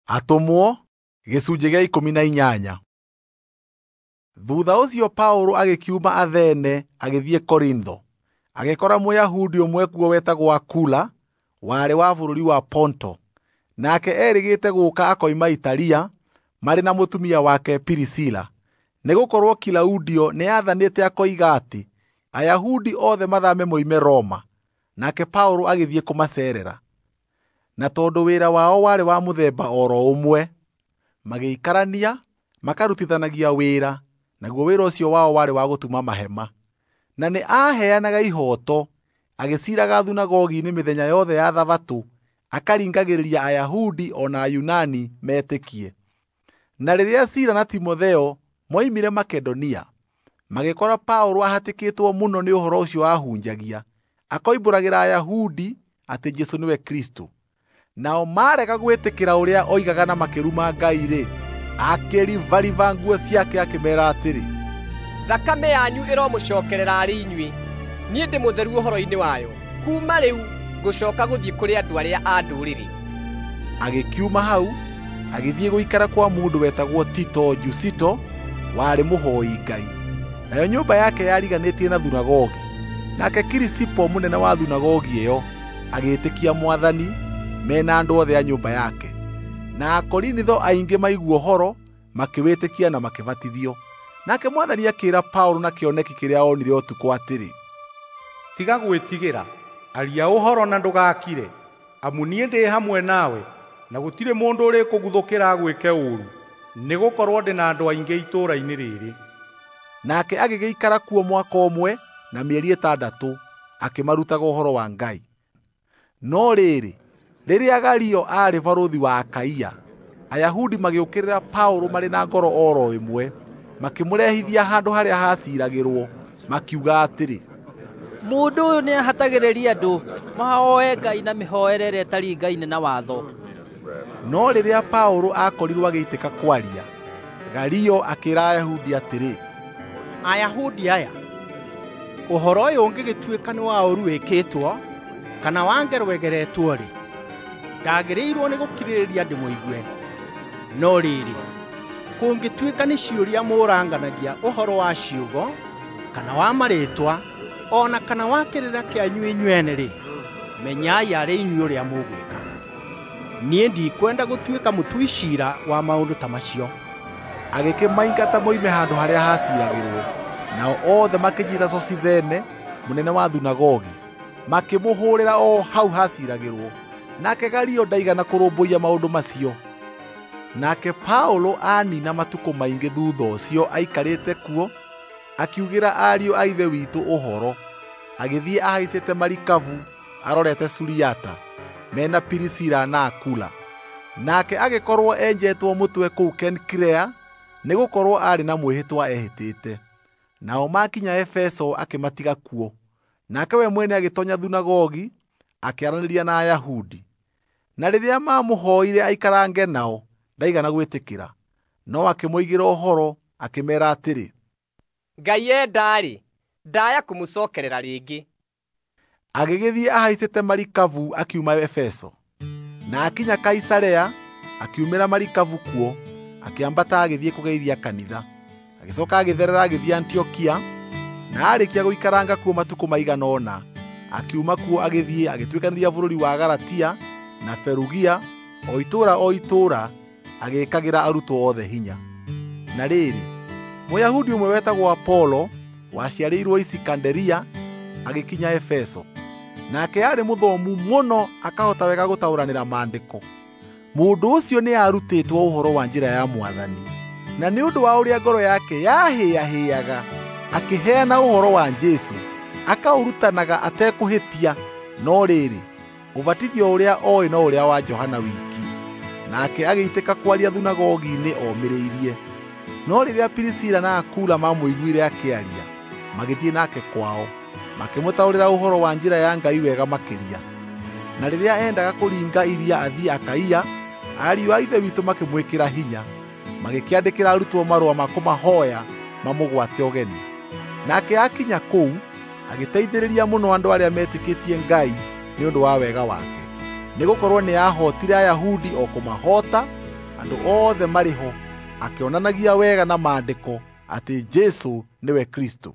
Atũmwo gĩcunjĩ gĩa 18. Thutha ũcio Paũlũ agĩkiuma Athene agĩthiĩ Korintho. Agĩkora Mũyahudi ũmwe kuo wetagwo Akula, warĩ wa bũrũri wa Ponto. Nake erĩgĩte gũũka akoima Italia marĩ na mũtumia wake Pirisila, nĩgũkorwo Kilaudio nĩathanĩte akoiga atĩ Ayahudi othe mathame moime Roma. Nake Paũlũ agĩthiĩ kũmaceerera. Na tondũ wĩra wao warĩ wa mũthemba o ro ũmwe, magĩikarania makarutithanagia wĩra, naguo wĩra ũcio wao warĩ wa gũtuma mahema. Na nĩ aaheanaga ihooto, agĩciiraga thunagogi-inĩ mĩthenya yothe ya Thabatũ, akaringagĩrĩria Ayahudi o na Ayunani metĩkie. Na rĩrĩa Sila na Timotheo moimire Makedonia, magĩkora Paũlũ ahatĩkĩtwo mũno nĩ ũhoro ũcio aahunjagia, akoimbũragĩra Ayahudi atĩ Jesũ nĩwe Kristũ. Nao marega gwĩtĩkĩra ũrĩa oigaga na makĩruma Ngai-rĩ, akĩribariba nguo ciake akĩmeera atĩrĩ, "Thakame yanyu ĩromũcookerera arĩ inyuĩ. Niĩ ndĩ mũtheru ũhoro-inĩ wayo. Kuuma rĩu ngũcooka gũthiĩ kũrĩ andũ arĩa a Ndũrĩrĩ." Agĩkiuma hau agĩthiĩ gũikara kwa mũndũ wetagwo Tito Jusito, warĩ mũhoi Ngai. Nayo nyũmba yake yariganĩtie na thunagogi. Nake Kirisipo mũnene wa thunagogi ĩyo agĩĩtĩkia Mwathani mena andũ othe a nyũmba yake. Na Akorinitho aingĩ maigua ũhoro makĩwĩtĩkia na makĩbatithio. Nake Mwathani akĩĩra Paũlũ na kĩoneki kĩrĩa onire ũtukũ atĩrĩ, "Tiga gwĩtigĩra, aria ũhoro na ndũgakire, amu niĩ ndĩ hamwe nawe, na gũtirĩ mũndũ ũrĩkũguthũkĩra agwĩke ũũru, nĩgũkorwo ndĩ na andũ aingĩ itũũra-inĩ rĩrĩ." Nake agĩgĩikara kuo mwaka ũmwe na mĩeri 6 akĩmarutaga ũhoro wa Ngai. No rĩrĩ, rĩrĩa Galio aarĩ barũthi wa Akaia, Ayahudi magĩũkĩrĩra Paũlũ marĩ na ngoro o ro ĩmwe, makĩmũrehithia handũ harĩa haciiragĩrwo, makiuga atĩrĩ, "Mũndũ ũyũ nĩahatagĩrĩria andũ mahooe Ngai na mĩhoere ĩrĩa ĩtaringaine na watho." No rĩrĩa Paũlũ aakorirwo agĩitĩka kwaria, Galio akĩĩra Ayahudi atĩrĩ, "Ayahudi aya, ũhoro ũyũ ũngĩgĩtuĩka nĩ wa ũũru wĩkĩtwo kana wa ngero ĩgeretwo-rĩ, ndagĩrĩirwo nĩ gũkirĩrĩria ndĩmũigue. No rĩrĩ, kũngĩtuĩka nĩ ciũria mũranganagia ũhoro wa ciugo kana wa marĩĩtwa o na kana wa kĩrĩra kĩanyu inyuene-rĩ, menyai arĩ inyuĩ ũrĩa mũgwĩka. Niĩ ndikwenda gũtuĩka mũtui ciira wa maũndũ ta macio." Agĩkĩmaingata moime handũ harĩa haciiragĩrwo. Nao othe makĩnyiita Sosithene, mũnene wa thunagogi, makĩmũhũũrĩra o hau haciiragĩrwo. Nake Galio ndaigana kũrũmbũiya maũndũ macio. Nake Paũlũ anina matukũ maingĩ thutha ũcio aikarĩte kuo, akiugĩra ariũ a Ithe witũ ũhoro. Agĩthiĩ ahaicĩte marikabu arorete Suriata, mena Pirisila na Akula. Nake agĩkorwo enjetwo mũtwe kũu Kenkirea, nĩgũkorwo aarĩ na mwĩhĩtwa ehĩtĩte. Nao makinya Efeso akĩmatiga kuo. Nake we mwene agĩtoonya thunagogi akĩaranĩria na Ayahudi. Na rĩrĩa maamũhooire aikarange nao, ndaigana gwĩtĩkĩra. No akĩmoigĩra ũhoro akĩmeera atĩrĩ, "Ngai enda-rĩ, ndaya kũmũcookerera rĩngĩ." Agĩgĩthiĩ ahaicĩte marikabu akiuma Efeso. Na akinya Kaisarea, akiumĩra marikabu kuo, akĩambata agĩthiĩ kũgeithia kanitha. Agĩcooka agĩtherera agĩthiĩ Antiokia, na aarĩkia gũikaranga kuo matukũ maigana ũna, akiuma kuo agĩthiĩ agĩtuĩkanĩria bũrũri wa Galatia na Ferugia, o itũũra o itũũra, agĩĩkagĩra arutwo othe hinya. Na rĩrĩ, Mũyahudi ũmwe wetagwo Apolo, waciarĩirwo Isikanderia, agĩkinya Efeso. Nake aarĩ mũthomu mũno akahota wega gũtaũranĩra Maandĩko. Mũndũ ũcio nĩarutĩtwo ũhoro wa njĩra ya Mwathani, na nĩ ũndũ wa ũrĩa ngoro yake yahĩahĩaga, akĩheana ũhoro wa Jesũ, akaũrutanaga atekũhĩtia. No rĩrĩ, ũbatithio ũrĩa oĩ no ũrĩa wa Johana wiki. Nake agĩitĩka kwaria thunagogi-inĩ omĩrĩirie. No rĩrĩa Pirisila na Akula maamũiguire akĩaria, magĩthiĩ nake kwao, makĩmũtaũrĩra ũhoro wa njĩra ya Ngai wega makĩria. Na rĩrĩa eendaga kũringa iria athiĩ Akaia, ariũ a Ithe witũ makĩmwĩkĩra hinya, magĩkĩandĩkĩra arutwo marũa ma kũmahooya mamũgwate ũgeni. Nake akinya kũu, agĩteithĩrĩria mũno andũ arĩa metĩkĩtie Ngai nĩ ũndũ wa wega wake. Nĩgũkorwo nĩahootire Ayahudi o kũmahoota. Andũ othe marĩ ho, akĩonanagia wega na Maandĩko atĩ Jesũ nĩwe Kristũ.